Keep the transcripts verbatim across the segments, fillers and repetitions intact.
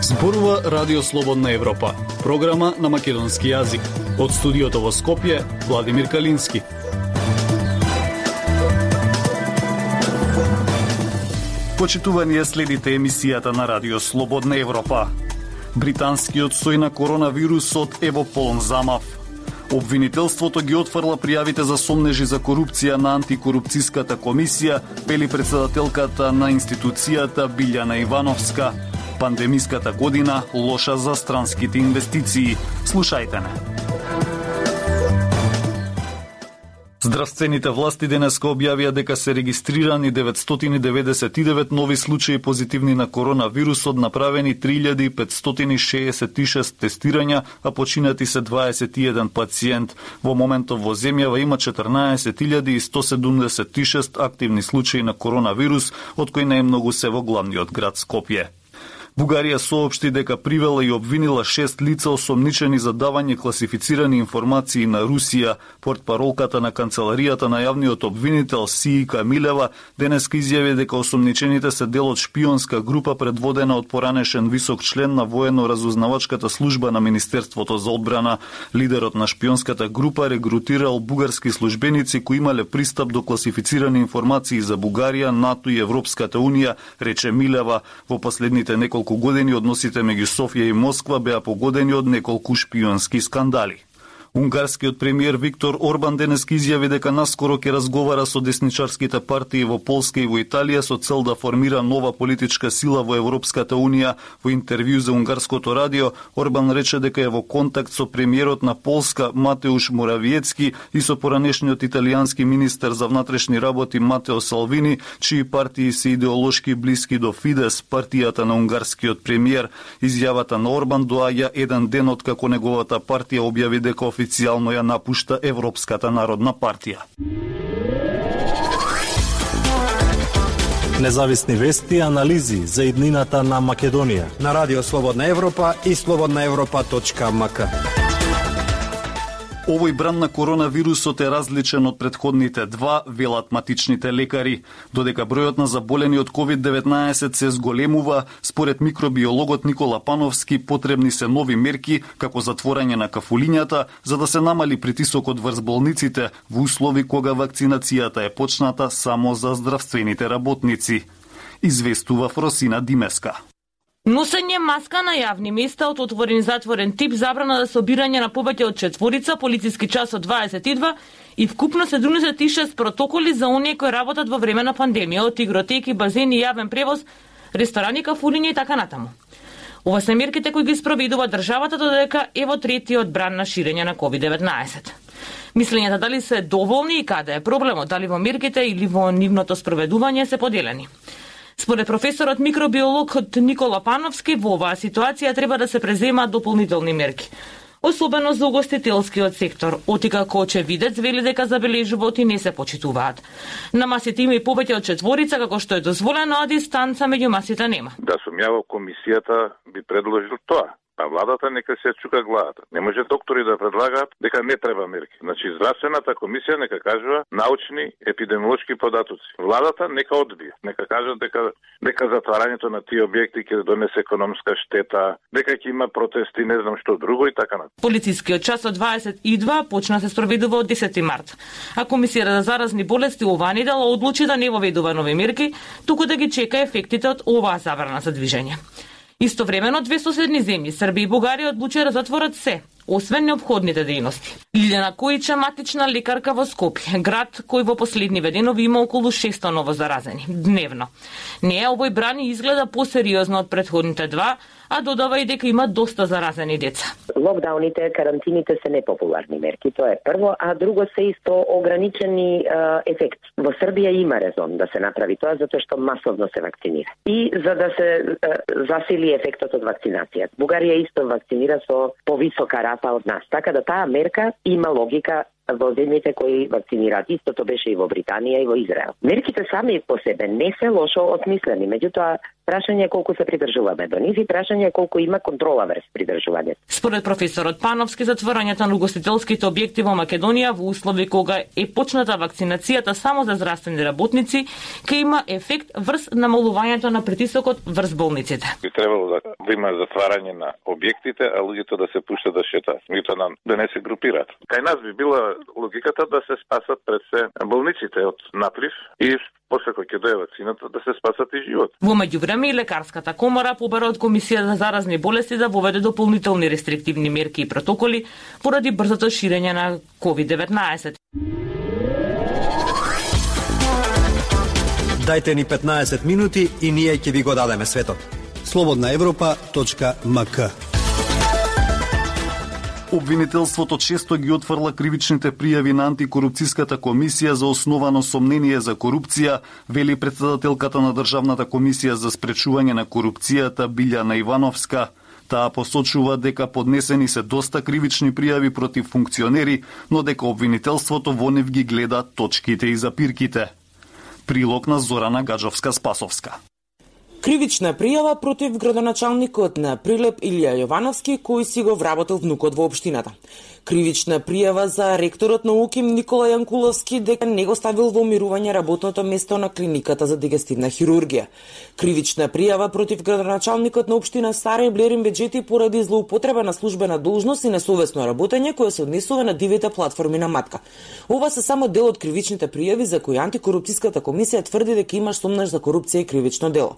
Зборува Радио Слободна Европа, програма на македонски јазик. Од студиото во Скопје, Владимир Калински. Почитувани следите емисијата на Радио Слободна Европа. Британскиот сој на коронавирусот е во полн замав. Обвинителството ги отфрла пријавите за сомнежи за корупција на антикорупцијската комисија, вели претседателката на институцијата Билјана Ивановска. Пандемиската година лоша за странските инвестиции. Слушајте не. Здравствените власти денеска објавија дека се регистрирани деветстотини деведесет и девет нови случаи позитивни на коронавирусот, направени три илјади петстотини шеесет и шест тестирања, а починати се дваесет и еден пациент. Во моментов во земјава има четрнаесет илјади сто седумдесет и шест активни случаи на коронавирус, од кои најмногу се во главниот град Скопје. Бугарија соопшти дека привела и обвинила шест лица осомничени за давање класифицирани информации на Русија. Портпаролката на канцеларијата на јавниот обвинител Сиика Милева денеска изјави дека осомничените се дел од шпионска група предводена од поранешен висок член на военно-разузнавачката служба на Министерството за одбрана. Лидерот на шпионската група регрутирал бугарски службеници кои имале пристап до класифицирани информации за Бугарија, НАТО и Европската унија, рече Милева. Во последните неколку години односите меѓу Софија и Москва беа погодени од неколку шпионски скандали. Унгарскиот премиер Виктор Орбан денеска изјави дека наскоро ќе разговара со десничарските партии во Полска и во Италија со цел да формира нова политичка сила во Европската унија. Во интервју за унгарското радио, Орбан рече дека е во контакт со премиерот на Полска Матеуш Моравиецки и со поранешниот италијански министер за внатрешни работи Матео Салвини, чии партии се идеолошки блиски до Фидес, партијата на унгарскиот премиер. Изјавата на Орбан доаѓа еден ден од како неговата партија објави дека официјално ја напушта Европската народна партија. Независни вести и анализи за иднината на Македонија на Радио Слободна Европа и слободна европа точка ем ка. Овој бран на коронавирусот е различен од претходните два, велат матичните лекари. Додека бројот на заболени од ковид деветнаесет се зголемува, според микробиологот Никола Пановски потребни се нови мерки, како затворање на кафулињата, за да се намали притисокот врз болниците во услови кога вакцинацијата е почната само за здравствените работници. Известува Фросина Димеска. Носење маска на јавни места од отворен и затворен тип, забрана за собирање на повеќе од четворица, полициски час од дваесет и два и вкупно седумдесет и шест протоколи за оние кои работат во време на пандемија, од игротеки, базени, јавен превоз, ресторани, кафулиња и така натаму. Ова се мерките кои ги спроведува државата додека е во третиот бран на ширење на ковид деветнаесет. Мислењата дали се доволни и каде е проблемот, дали во мерките или во нивното спроведување се поделени. Според професорот микробиолог Никола Пановски, во оваа ситуација треба да се преземаат дополнителни мерки, особено за угостителскиот сектор. Оти како очевидец вели дека забележуваат и не се почитуваат. На масите има и повеќе од четворица, како што е дозволено, а дистанца меѓу масите нема. Да сум ја во комисијата би предложил тоа. А владата нека се чука главата. Не може доктори да предлагаат дека не треба мерки. Значи, здравствената комисија нека кажува научни епидемиолошки податоци. Владата нека одбие. Нека кажат дека дека затварањето на тие објекти ќе донесе економска штета, дека ќе има протести, не знам што друго и така натаму. Полицискиот час од дваесет и два почна се спроведува од десети март. А комисијата за заразни болести оваа недела одлучи да не воведува нови мерки, туку да ги чека ефектите од оваа забрана за движење. Истовремено, две соседни земји, Србија и Бугарија, одлучија да затворат се, освен неопходните дејности. Лилјана Којича, матична лекарка во Скопје, град кој во последниве денови има околу шестоста ново заразени дневно. Неја овој брани изгледа посериозно од претходните два, а додава и дека има доста заразени деца. Локдауните, карантините се непопуларни мерки, тоа е прво, а друго се исто ограничени е, ефект. Во Србија има резон да се направи тоа, затоа што масовно се вакцинира. И за да се е, засили ефектот од вакцинацијата. Бугарија исто вакцинира со повисока рата од нас, така да таа мерка има логика во земјите кои вакцинираат. Истото беше и во Британија и во Израел. Мерките сами по себе не се лошо осмислени, меѓутоа Прашање е колку се придржуваме до нив и прашање е колку има контрола врз придржувањето. Според професорот Пановски, затворањето на угостителските објекти во Македонија во услови кога е почната вакцинацијата само за здравствени работници, ќе има ефект врз намалувањето на притисокот врз болниците. Би требало да, да има затварање на објектите, а луѓето да се пуштат да шетаат, меѓутоа да, да не се групираат. Кај нас би била логиката да се спасат пред се болниците од наплив и после кој ќе дое вакцината да се спасат и живот. Во меѓувреме и лекарската комора побара од Комисија за заразни болести да воведе дополнителни рестриктивни мерки и протоколи поради брзото ширење на ковид деветнаесет. Дајте ни петнаесет минути и ние ќе ви го дадеме светот. слободна европа точка ем ка. Обвинителството често ги отфрла кривичните пријави на антикорупцијската комисија за основано сомнение за корупција, вели претседателката на Државната комисија за спречување на корупцијата Билјана Ивановска. Таа посочува дека поднесени се доста кривични пријави против функционери, но дека обвинителството во нив ги гледа точките и запирките. Прилог на Зорана Гаджовска-Спасовска. Кривична пријава против градоначалникот на Прилеп Илија Јовановски, кој си го вработил внукот во општината. Кривична пријава за ректорот на УКИМ Никола Јанкуловски дека не го ставил во мирување работното место на клиниката за дигестивна хирургија. Кривична пријава против градоначалникот на општина Сарај Блерин Беџети поради злоупотреба на службена должност и несовесно работење кое се однесува на дивите платформи на Матка. Ова се само дел од кривичните пријави за кои антикорупцијската комисија тврди дека има сомнеж за корупција и кривично дело.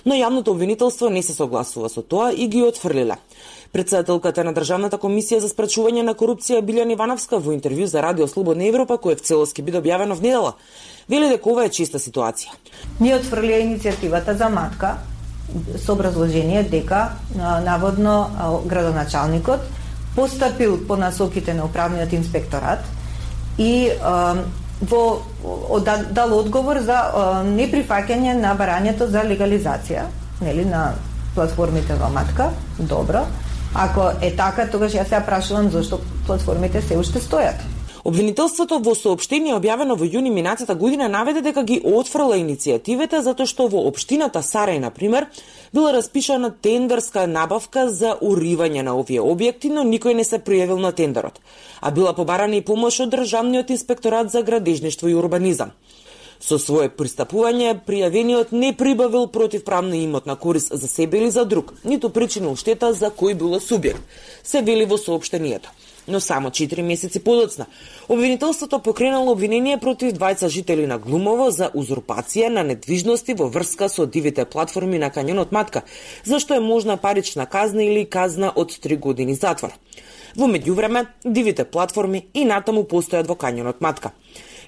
Но јавното обвинителство не се согласува со тоа и ги отфрлила. Претседателката на Државната комисија за спречување на корупција Билјана Ивановска во интервју за Радио Слободна Европа, кој в целост ќе биде објавено в недела, вели дека ова е чиста ситуација. Ние отфрлија иницијативата за Матка со образложение дека наводно градоначалникот постапил по насоките на управниот инспекторат и во дал одговор за неприфаќање на барањето за легализација, нели, на платформите во Матка. Добро. Ако е така, тогаш јас се прашувам зашто платформите се уште стојат. Обвинителството во соопштение објавено во јуни минатата година наведе дека ги отфрла иницијативите затоа што во општината Сарај, на пример, била распишана тендерска набавка за уривање на овие објекти, но никој не се пријавил на тендерот, а била побарана и помош од Државниот инспекторат за градежништво и урбанизам. Со свое пристапување, пријавениот не прибавил противправна имотна корист за себе или за друг, ниту причинил штета за кој било субјект, се вели во соопштението. Но само четири месеци подоцна, обвинителството покренало обвинение против двајца жители на Глумово за узурпација на недвижности во врска со дивите платформи на кањонот Матка, зашто е можна парична казна или казна од три години затвор. Во меѓувреме, дивите платформи и натаму постојат во кањонот Матка.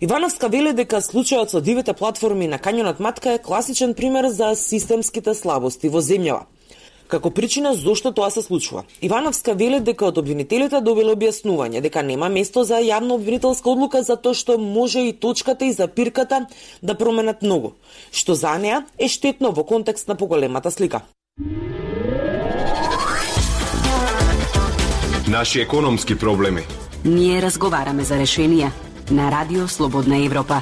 Ивановска вели дека случајот со дивите платформи на кањонот Матка е класичен пример за системските слабости во земјава. Како причина зошто тоа се случува, Ивановска вели дека од обвинителите добиле објаснување дека нема место за јавна обвинителска одлука затоа што може и точката и запирката да променат многу, што за неа е штетно во контекст на поголемата слика. Наши економски проблеми. Ние разговараме за решенија на Радио Слободна Европа.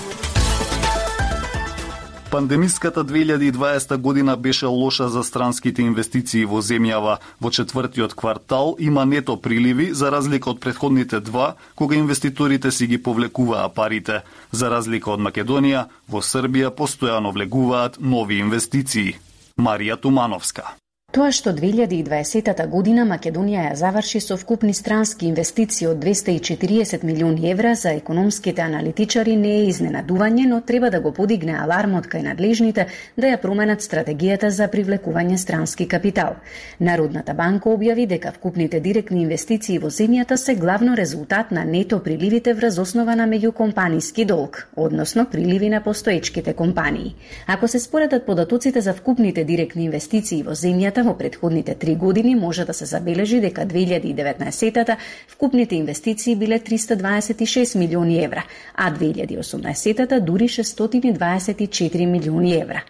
Пандемиската две илјади и дваесета година беше лоша за странските инвестиции во земјава. Во четвртиот квартал има нето приливи, за разлика од претходните два, кога инвеститорите си ги повлекуваа парите. За разлика од Македонија, во Србија постојано влегуваат нови инвестиции. Марија Тумановска. Тоа што две илјади и дваесета година Македонија ја заврши со вкупни странски инвестиции од двесте и четириесет милиони евра за економските аналитичари не е изненадување, но треба да го подигне алармот кај надлежните да ја променат стратегијата за привлекување странски капитал. Народната банка објави дека вкупните директни инвестиции во земјата се главно резултат на нето приливите врз основа на меѓукомпаниски долг, односно приливи на постоечките компании. Ако се споредат податоците за вкупните директни инвестиции во земјата во претходните три години може да се забележи дека две илјади и деветнаесетата вкупните инвестиции биле триста дваесет и шест милиони евра, а две илјади и осумнаесетата дури шестстотини дваесет и четири милиони евра.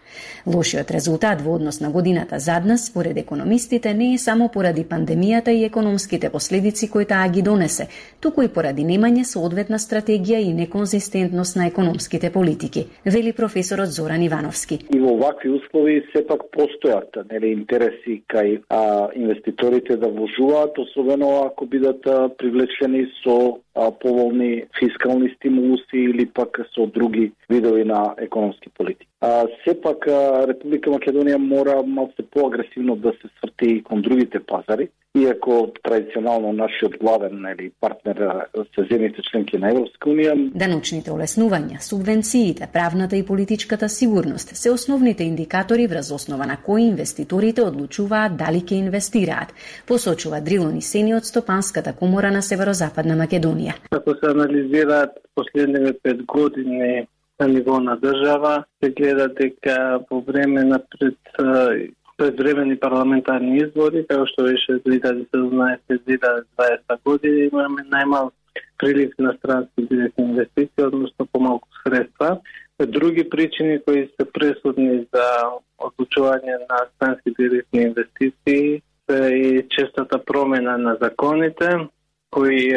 Лошиот резултат во однос на годината заднас, според економистите, не е само поради пандемијата и економските последици кои таа ги донесе, туку и поради немање соодветна стратегија и неконзистентност на економските политики, вели професорот Зоран Ивановски. И во вакви услови сепак постојат нели интереси кај а, инвеститорите да вложуваат, особено ако бидат привлечени со а, поволни фискални стимулуси или пак со други видови на економски политики. А, сепак а, Република Македонија мора малку поагресивно да се сврти кон другите пазари, иако традиционално нашиот главен нели партнер се земјите членки на Европска унија. Даночните олеснувања, субвенциите, правната и политичката сигурност се основните индикатори врз основа на кои инвеститорите одлучуваат дали ќе инвестираат, посочува Дрилон Исени од Стопанската комора на Северозападна Македонија. Ако се анализираат последниве пет години на ниво на држава, се гледа дека по време на пред предвремени парламентарни избори, како што беше две илјади и седумнаесета - две илјади и дваесета година, имаме најмал прилив на странски директни инвестиции, односно помалку средства. Други причини кои се пресудни за одлучување на странски директни инвестиции се и честата промена на законите, кои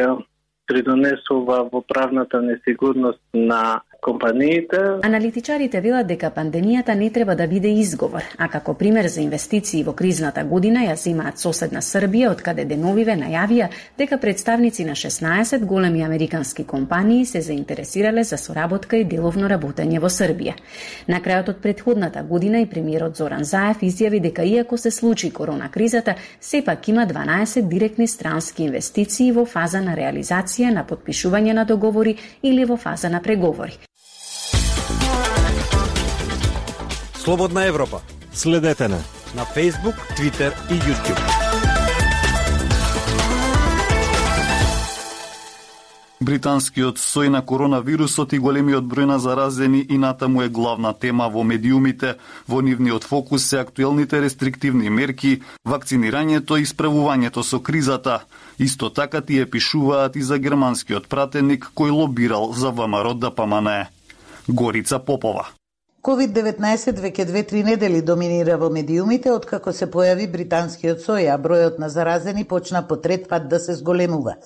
придонесува во правната несигурност на компаниите. Аналитичарите велат дека пандемијата не треба да биде изговор, а како пример за инвестиции во кризната година ја земаат соседна Србија, од каде деновиве најавија дека представници на шеснаесет големи американски компании се заинтересирале за соработка и деловно работење во Србија. На крајот од претходната година и премиерот Зоран Заев изјави дека иако се случи корона кризата, сепак има дванаесет директни странски инвестиции во фаза на реализација, на потпишување на договори или во фаза на преговори. Слободна Европа. Следете на на Facebook, Twitter и YouTube. Британскиот сој на коронавирусот и големиот број на заразени и натаму е главна тема во медиумите. Во нивниот фокус се актуелните рестриктивни мерки, вакцинирањето и справувањето со кризата. Исто така тие пишуваат и за германскиот пратеник кој лобирал за ВМРО Д П М Н. Горица Попова. ковид деветнаесет веќе две-три недели доминира во медиумите откако се појави британскиот сој, а бројот на заразени почна по трет пат да се зголемува.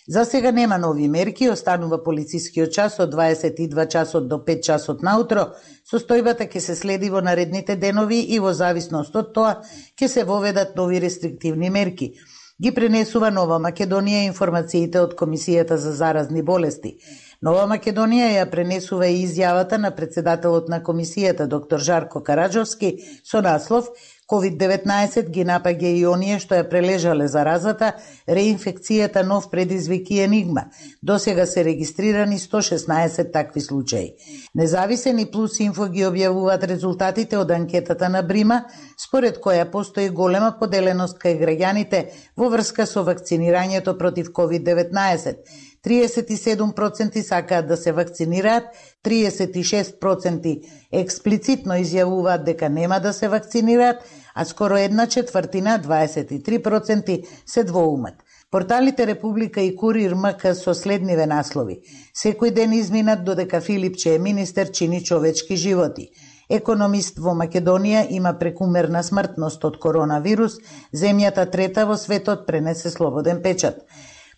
За сега нема нови мерки, останува полицискиот час од дваесет и два часот до пет часот наутро. Состојбата ќе се следи во наредните денови и во зависност од тоа ќе се воведат нови рестриктивни мерки. Ги пренесува Нова Македонија информациите од Комисијата за заразни болести. Нова Македонија ја пренесува и изјавата на председателот на комисијата доктор Жарко Караджовски со наслов ковид деветнаесет ги напаѓа и оние што ја прележале заразата, реинфекцијата нов предизвик и енигма. Досега се регистрирани сто шеснаесет такви случаи. Независен и Плюс Инфо ги објавуваат резултатите од анкетата на Брима, според која постои голема поделеност кај граѓаните во врска со вакцинирањето против ковид деветнаесет. триесет и седум проценти сакаат да се вакцинираат, триесет и шест проценти експлицитно изјавуваат дека нема да се вакцинираат, а скоро една четвртина, дваесет и три проценти, се двоумат. Порталите Република и Курир М К со следниве наслови. Секој ден изминат додека Филипче е министер чини човечки животи. Економист во Македонија има прекумерна смртност од коронавирус, земјата трета во светот пренесе слободен печат.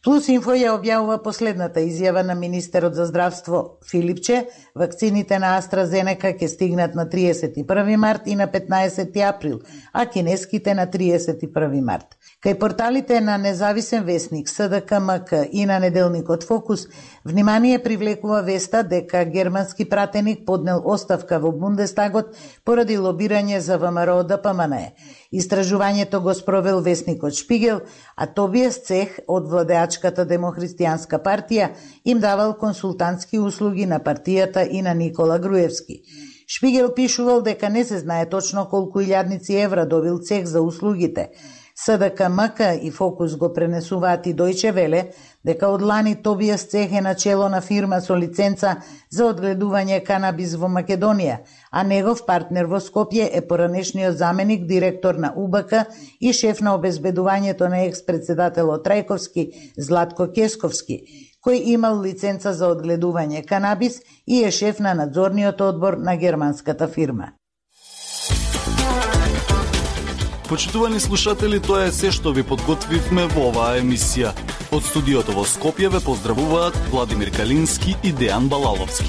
Плюс Инфо ја објавува последната изјава на министерот за здравство Филипче. Вакцините на AstraZeneca ќе стигнат на триесет и први март и на петнаесети април, а кинеските на триесет и први март. Кај порталите на Независен весник, С Д К М К и на неделникот Фокус, внимание привлекува веста дека германски пратеник поднел оставка во Бундестагот поради лобирање за ВМРО Д П М Н. Истражувањето го спровел весникот Шпигел, а Тобиес Цех од владеачката Демохристијанска партија им давал консултантски услуги на партијата и на Никола Груевски. Шпигел пишувал дека не се знае точно колку илјадници евра добил Цех за услугите. С Д К М К и Фокус го пренесуваат и Дојче Веле дека од лани Тобијас Цех е начело на фирма со лиценца за одгледување канабис во Македонија, а негов партнер во Скопје е поранешниот заменик директор на У Б К и шеф на обезбедувањето на екс-председателот Трајковски Златко Кесковски, кој имал лиценца за одгледување канабис и е шеф на надзорниот одбор на германската фирма. Почитувани слушатели, тоа е се што ви подготвивме во оваа емисија. Од студиото во Скопје ве поздравуваат Владимир Калински и Дејан Балаловски.